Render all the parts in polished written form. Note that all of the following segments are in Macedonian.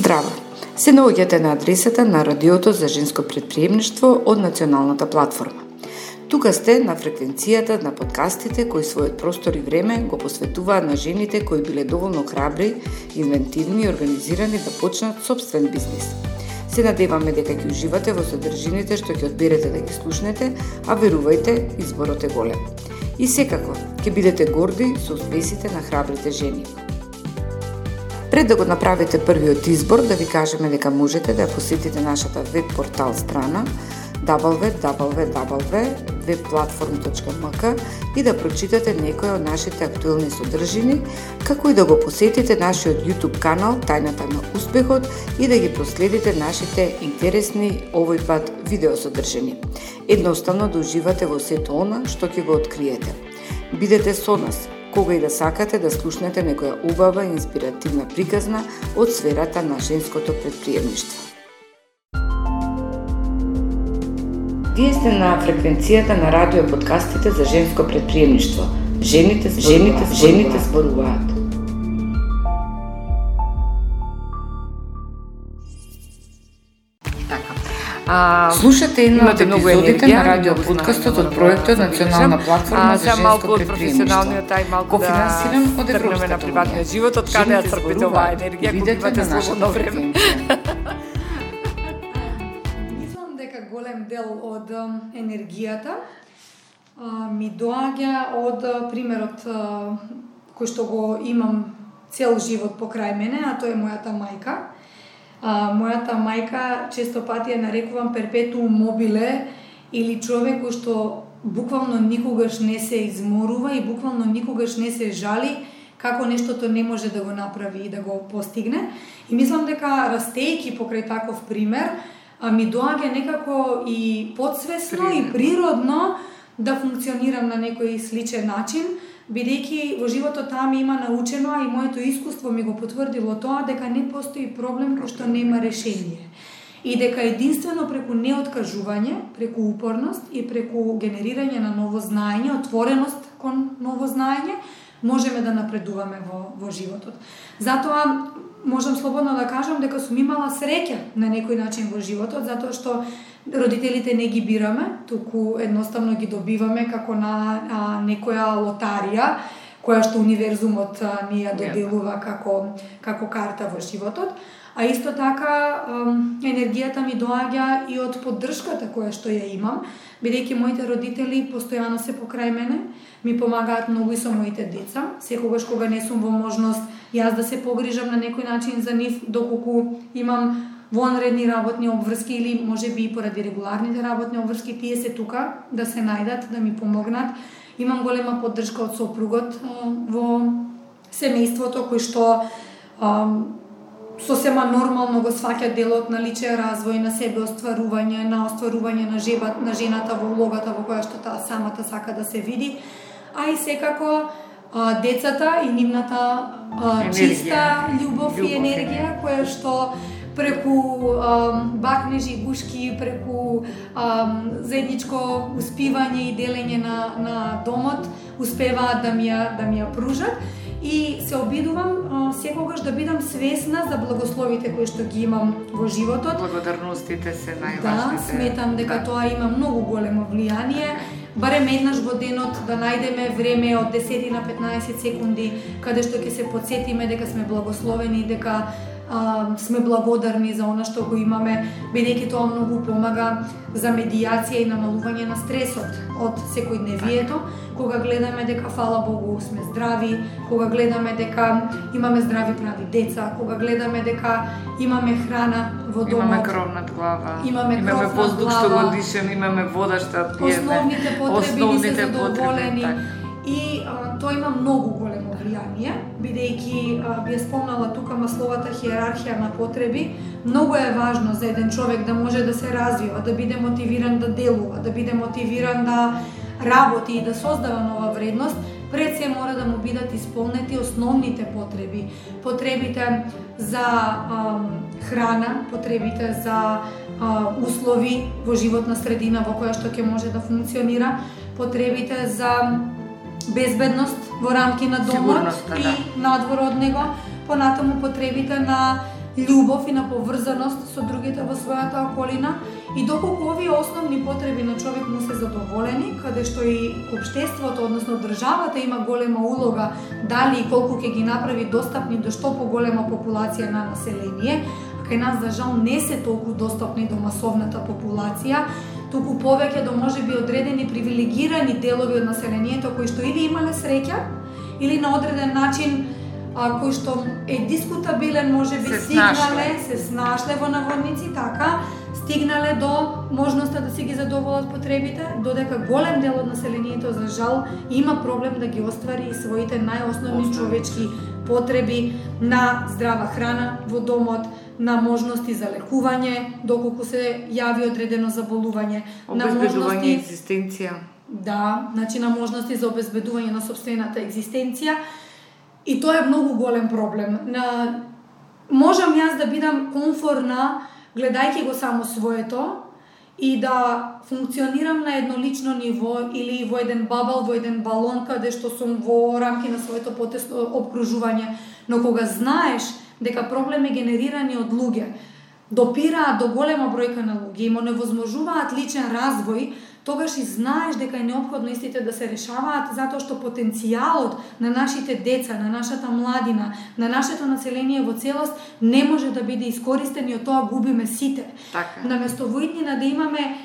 Здраво! Се наоѓате на адресата на Радиото за женско претприемништво од Националната платформа. Тука сте на фреквенцијата на подкастите кои својот простор и време го посветуваат на жените кои биле доволно храбри, инвентивни и организирани да почнат собствен бизнис. Се надеваме дека ќе уживате во содржините што ќе одберете да ги слушнете, а верувајте, изборот е голем. И секако, ќе бидете горди со успесите на храбрите жени. Пред да го направите првиот избор, да ви кажеме дека можете да посетите нашата веб портал страна www.webplatform.mk и да прочитате некои од нашите актуелни содржини, како и да го посетите нашиот YouTube канал Тајната на успехот и да ги проследите нашите интересни овој пат видеосодржини. Едноставно да уживате во сето она што ќе го откриете. Бидете со нас кога и да сакате да слушнете некоја убава и инспиративна приказна од сферата на женското претприемништво. Вие сте на фреквенцијата на радио подкастите за женско претприемништво. Жените зборуваат. Слушате една од епизодите на радио подкастот од проектот Национална платформа за женско претприемништво, кофинансиран од Европската на приватниот живот, од каде ја црпите оваа енергија, кога имате слободно време. Мислам дека голем дел од енергијата ми доаѓа од примерот кој што го имам цел живот покрај мене, а тоа е мојата мајка. Мојата мајка често пати ја нарекувам перпетуум мобиле или човек кој што буквално никогаш не се изморува и буквално никогаш не се жали како нештото не може да го направи и да го постигне. И мислам дека растејќи покрај таков пример, ми доаѓа некако и подсвесно и природно да функционирам на некој сличен начин, бидејќи во животот таа ми има научено, а и моето искуство ми го потврдило тоа, дека не постои проблем кој што нема решение. И дека единствено преку неоткажување, преку упорност и преку генерирање на ново знаење, отвореност кон ново знаење, можеме да напредуваме во животот. Затоа можам слободно да кажам дека сум имала среќа на некој начин во животот, затоа што родителите не ги бираме, туку едноставно ги добиваме како на некоја лотарија, која што универзумот ни ја доделува како карта во животот. А исто така енергијата ми доаѓа и од поддршката која што ја имам, бидејќи моите родители постојано се покрај мене, ми помагаат многу и со моите деца. Секогаш кога не сум во можност јас да се погрижам на некој начин за нив, доколку имам вонредни работни обврски или можеби и поради регуларните работни обврски, тие се тука да се најдат, да ми помогнат. Имам голема поддршка од сопругот во семејството, кој што сосема нормално го сваќа делот на личен развој, на себе остварување на жената во улогата во која што таа самата сака да се види, а и секако децата и нивната чиста љубов и енергија, која што преку бакнежи и гушки, преку заедничко успивање и делење на домот, успеваат да ми ја пружат. И се обидувам секогаш да бидам свесна за благословите кои што ги имам во животот. Благодарностите се најважните. Да, сметам дека тоа има многу големо влијание. Барем еднаш во денот да најдеме време од 10 на 15 секунди каде што ќе се потсетиме дека сме благословени, дека сме благодарни за она што го имаме, бидејќи тоа многу помага за медијација и намалување на стресот од секојдневието, кога гледаме дека фала Богу сме здрави, кога гледаме дека имаме здрави прави деца, кога гледаме дека имаме храна во домот, имаме кров над глава, имаме воздух што го дишеме, имаме вода што пиеме, основните потреби ни се задоволени. И тоа има многу големо влијание, бидејќи би ја спомнала тука масловата хиерархија на потреби. Многу е важно за еден човек да може да се развива, да биде мотивиран да делува, да биде мотивиран да работи и да создава нова вредност. Пред се мора да му бидат исполнети основните потреби. Потребите за храна, потребите за услови во животна средина во која што ќе може да функционира, потребите за безбедност во рамки на домот и надвор од него, понатаму потребите на љубов и на поврзаност со другите во својата околина, и доколку овие основни потреби на човек му се задоволени, каде што и општеството, односно државата има голема улога дали и колку ќе ги направи достапни до што поголема популација на население, а кај нас за жал не се толку достапни до масовната популација, туку повеќе до можеби одредени привилегирани делови од населението кои што или имале среќа, или на одреден начин кој што е дискутабилен, можеби се снашле во наводници, така, стигнале до можноста да си ги задоволат потребите, додека голем дел од населението за жал има проблем да ги оствари своите најосновни човечки потреби на здрава храна во домот, на можности за лекување, доколку се јави одредено заболување, на можности екзистенција. Да, значи на можности за обезбедување на сопствената екзистенција. И тоа е многу голем проблем. Можам јас да бидам комфорна гледајќи го само своето и да функционирам на еднолично ниво или во еден бабл, во еден балон каде што сум во рамки на своето потесно обкружување, но кога знаеш дека проблеми генерирани од луѓе допираат до голема бројка на луѓе и му невозможуваат личен развој, тогаш и знаеш дека е неопходно истите да се решаваат, затоа што потенцијалот на нашите деца, на нашата младина, на нашето население во целост не може да биде искористен и од тоа губиме сите. Така. Наместо во иднина да имаме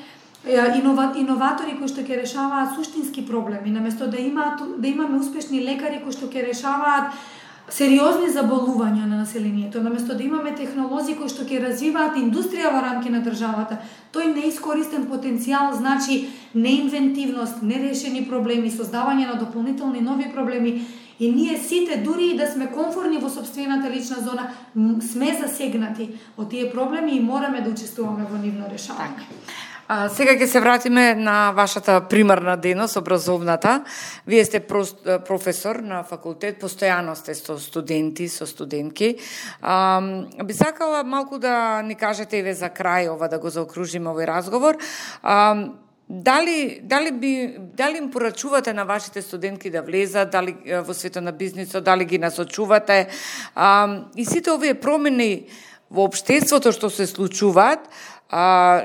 иноватори кои што ќе решаваат суштински проблеми, наместо да имаме успешни лекари кои што ќе решаваат сериозни заболувања на населението, наместо да имаме технолози кои што ќе развиваат индустрија во рамки на државата, тој неискористен потенцијал значи неинвентивност, нерешени проблеми, создавање на дополнителни нови проблеми, и ние сите, дури и да сме комфорни во сопствената лична зона, сме засегнати од тие проблеми и мораме да учествуваме во нивно решавање. Сега ќе се вратиме на вашата примарна дејност, образовната. Вие сте професор на факултет, постојано сте со студенти, со студентки. Би сакала малку да ни кажете еве за крај ова, да го заокружиме овој разговор. Дали им порачувате на вашите студентки да влезат, дали во светот на бизнисот, дали ги насочувате? И сите овие промени во општеството што се случуваат,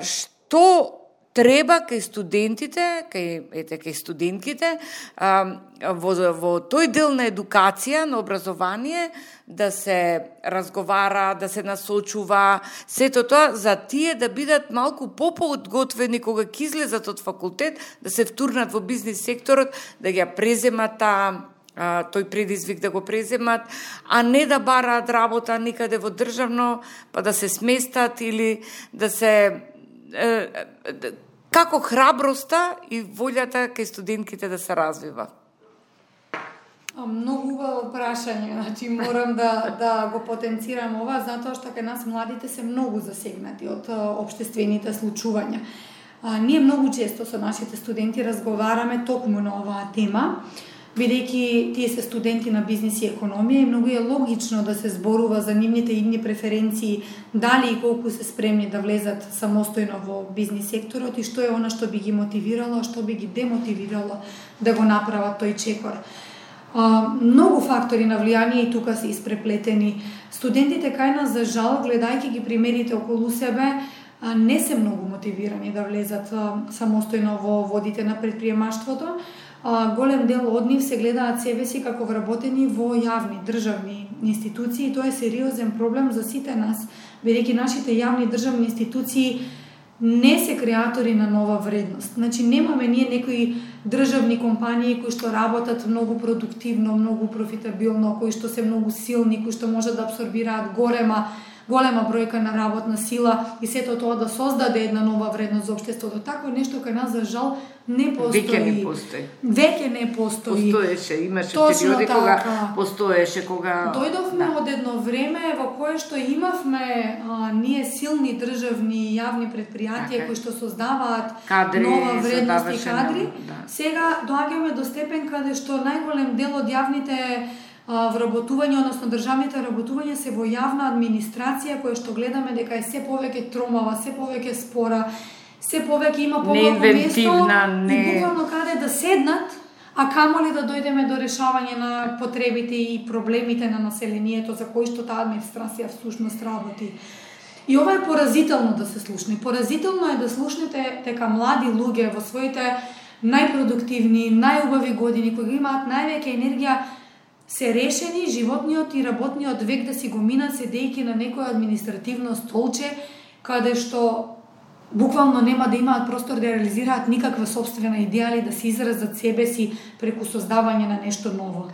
што треба кај студентите, кај студентките, во тој дел на едукација, на образование, да се разговара, да се насочува, сето тоа за тие да бидат малку поподготвени кога ќе излезат од факултет, да се втурнат во бизнис секторот, да ги преземат тој предизвик да го преземат, а не да бараат работа никаде во државно, па да се сместат или да се... Како храброста и волјата кај студентките да се развива? Многу убаво прашање, значи морам да го потенцирам ова, затоа што кај нас младите се многу засегнати од општествените случувања. Ние многу често со нашите студенти разговараме токму на оваа тема, бидејќи тие се студенти на бизнис и економија и многу е логично да се зборува за нивните идни преференции, дали и колку се спремни да влезат самостојно во бизнис секторот и што е она што би ги мотивирало, а што би ги демотивирало да го направат тој чекор. Многу фактори на влијание и тука се испреплетени. Студентите кај нас, за жал, гледајќи ги примерите околу себе, не се многу мотивирани да влезат самостојно во водите на предприемаштвото. Голем дел од нив се гледаат себе си како вработени во јавни државни институции и тоа е сериозен проблем за сите нас, бидејќи нашите јавни државни институции не се креатори на нова вредност. Значи немаме ние некои државни компании кои што работат многу продуктивно, многу профитабилно, кои што се многу силни, кои што може да абсорбираат голема бројка на работна сила и сето тоа да создаде една нова вредност за општеството. Такво нешто кај нас, за жал, не постои. Веќе не постои. Постоеше, имаше периоди кога постоеше, кога... Дојдовме од едно време во кое што имавме ние силни државни и јавни предпријатија кои што создаваат нова вредност и кадри. Сега доаѓаме до степен каде што најголем дел од јавните вработување, односно државните вработувања се во јавна администрација, која што гледаме дека е се повеќе тромава, се повеќе спора, се повеќе има помалку место и буквално каде да седнат, а камоли да дојдеме до решавање на потребите и проблемите на населението за кои што таа администрација всушност работи. И ова е поразително да се слушне. Поразително е да слушнете дека млади луѓе во своите најпродуктивни, најубави години, кои имаат највеќе енергија, се решени животниот и работниот век да си го минат седејќи на некој административно столче, каде што буквално нема да имаат простор да реализираат никаква собствена идеја или да се изразат себе си преку создавање на нешто ново.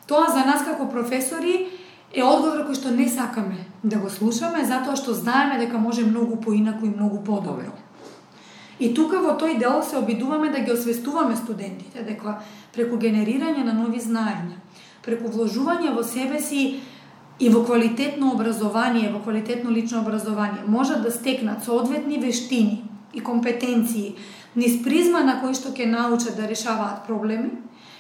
Тоа за нас како професори е одговор кој што не сакаме да го слушаме, затоа што знаеме дека може многу поинаку и многу подобро. И тука во тој дел се обидуваме да ги освестуваме студентите дека преку генерирање на нови знаења, преку вложување во себе си и во квалитетно образование, во квалитетно лично образование, можат да стекнат соодветни вештини и компетенции низ призма на кој што ќе научат да решаваат проблеми,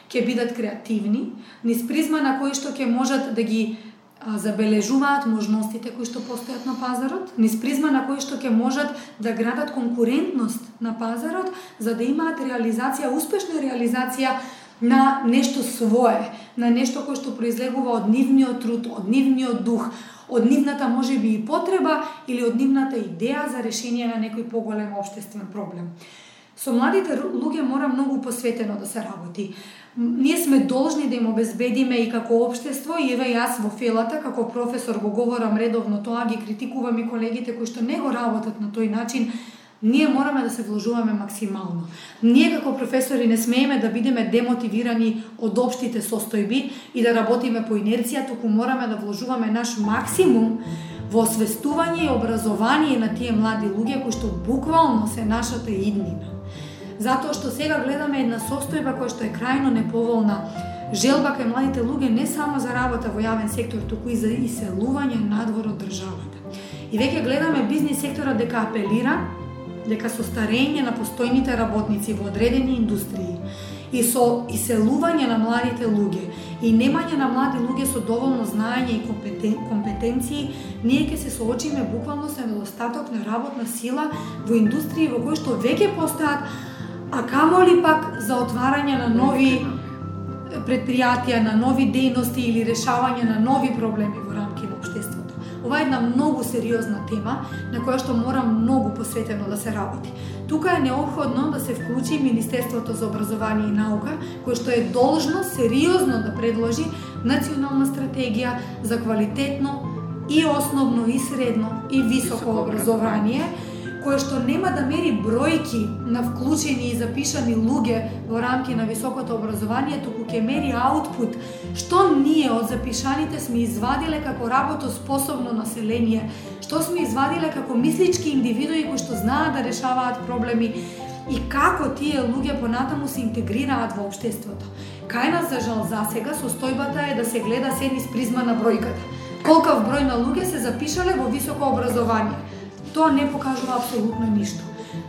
ќе бидат креативни, низ призма на кој што ќе можат да ги забележуваат можностите кои што постојат на пазарот, низ призма на кои што ќе можат да градат конкурентност на пазарот, за да имаат реализација, успешна реализација на нешто свое, на нешто кое што произлегува од нивниот труд, од нивниот дух, од нивната можеби и потреба или од нивната идеја за решение на некој поголем општествен проблем. Со младите луѓе мора многу посветено да се работи. Ние сме должни да им обезбедиме и како општество, и еве јас во фелата како професор го говорам редовно тоа, ги критикувам и колегите кои што не го работат на тој начин. Ние мораме да се вложуваме максимално. Ние како професори не смееме да бидеме демотивирани од општите состојби и да работиме по инерција, туку мораме да вложуваме наш максимум во освестување и образование на тие млади луѓе кои што буквално се нашата иднина. Затоа што сега гледаме една состојба која што е крајно неповолна, желба кај младите луѓе не само за работа во јавен сектор, туку и за иселување надвор од државата. И веќе гледаме бизнис секторот дека апелира дека со старење на постојните работници во одредени индустрии и со иселување на младите луѓе и немање на млади луѓе со доволно знаење и компетенции, ние ќе се соочиме буквално со недостаток на работна сила во индустрии во кои што веќе постојат, а камоли пак за отварање на нови предпријатија, на нови дејности или решавање на нови проблеми во рамки на општеството. Ова е една многу сериозна тема на која што мора многу посветено да се работи. Тука е необходно да се вклучи Министерството за образование и наука, кое што е должно сериозно да предложи национална стратегија за квалитетно и основно и средно и високо образование, кое што нема да мери бројки на вклучени и запишани луѓе во рамки на високото образование, туку ќе мери аутпут, што ние од запишаните сме извадиле како работоспособно население, што сме извадиле како мислички индивидуи кои што знаат да решаваат проблеми и како тие луѓе понатаму се интегрираат во општеството. Кај нас, за жал, засега состојбата е да се гледа се низ призма на бројката. Колкав број на луѓе се запишале во високо образование. Тоа не покажува апсолутно ништо.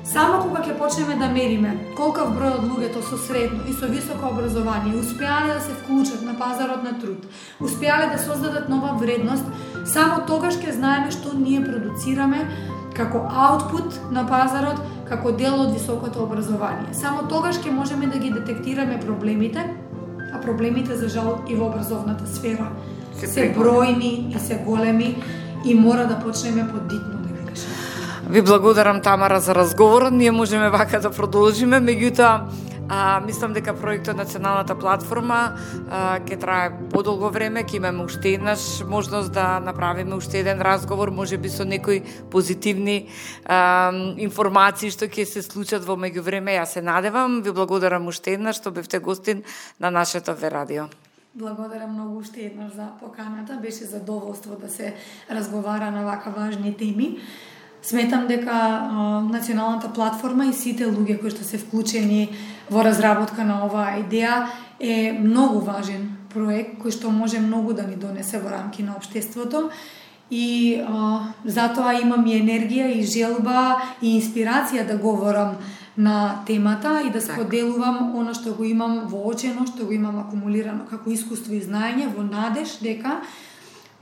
Само кога ќе почнеме да мериме колкав број од луѓето со средно и со високо образование успеале да се вклучат на пазарот на труд, успеале да создадат нова вредност, само тогаш ќе знаеме што ние продуцираме како аутпут на пазарот, како дел од високото образование. Само тогаш ќе можеме да ги детектираме проблемите, а проблемите, за жал, и во образовната сфера се бројни и се големи и мора да почнеме подитно. Ви благодарам, Тамара, за разговорот. Ние можеме вака да продолжиме, меѓутоа мислам дека проектот Националната платформа ќе трае подолго време, ќе имаме уште еднаш можност да направиме уште еден разговор, можеби со некои позитивни информации што ќе се случат во меѓувреме. Јас се надевам. Ви благодарам уште еднаш што бевте гостин на нашето ВР-радио. Благодарам многу уште еднаш за поканата. Беше задоволство да се разговара на вака важни теми. Сметам дека Националната платформа и сите луѓе кои што се вклучени во разработка на оваа идеја е многу важен проект кој што може многу да ни донесе во рамки на општеството и затоа имам и енергија и желба и инспирација да говорам на темата и да споделувам она што го имам воочено, што го имам акумулирано како искуство и знаење, во надеж дека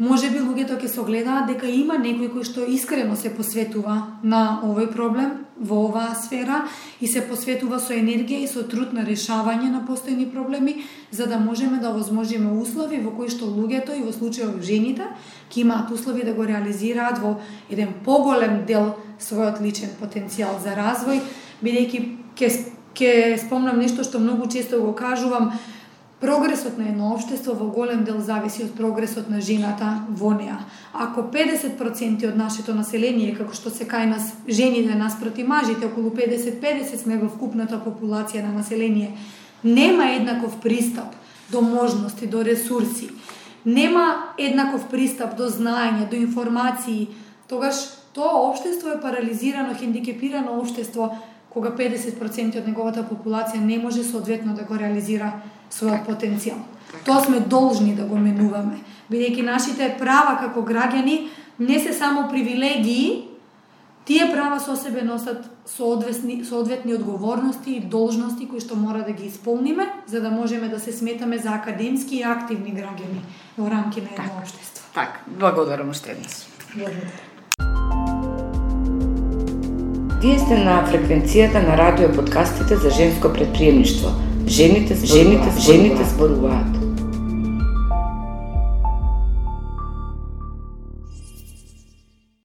Може би луѓето ќе согледаат дека има некој кој што искрено се посветува на овој проблем, во оваа сфера и се посветува со енергија и со труд на решавање на постојни проблеми, за да можеме да овозможиме услови во кои што луѓето и во случајот жените ќе имаат услови да го реализираат во еден поголем дел својот личен потенцијал за развој, бидејќи ќе спомнам нешто што многу често го кажувам. Прогресот на едно општество во голем дел зависи од прогресот на жената во неа. Ако 50% од нашето население, како што се кај нас жените наспроти мажите, околу 50-50 сме во вкупната популација на население, нема еднаков пристап до можности, до ресурси, нема еднаков пристап до знаење, до информации, тогаш тоа општество е парализирано, хендикепирано општество, кога 50% од неговата популација не може соодветно да го реализира својот потенцијал. Тоа сме должни да го менуваме, бидејќи нашите права како граѓани не се само привилегии, тие права со себе носат соодветни одговорности и должности кои што мора да ги исполниме, за да можеме да се сметаме за академски и активни граѓани во рамки на едно општество. Така, благодарам уште еднаш. Вие сте на фреквенцијата на радио подкастите за женско претприемништво. Жените зборуваат.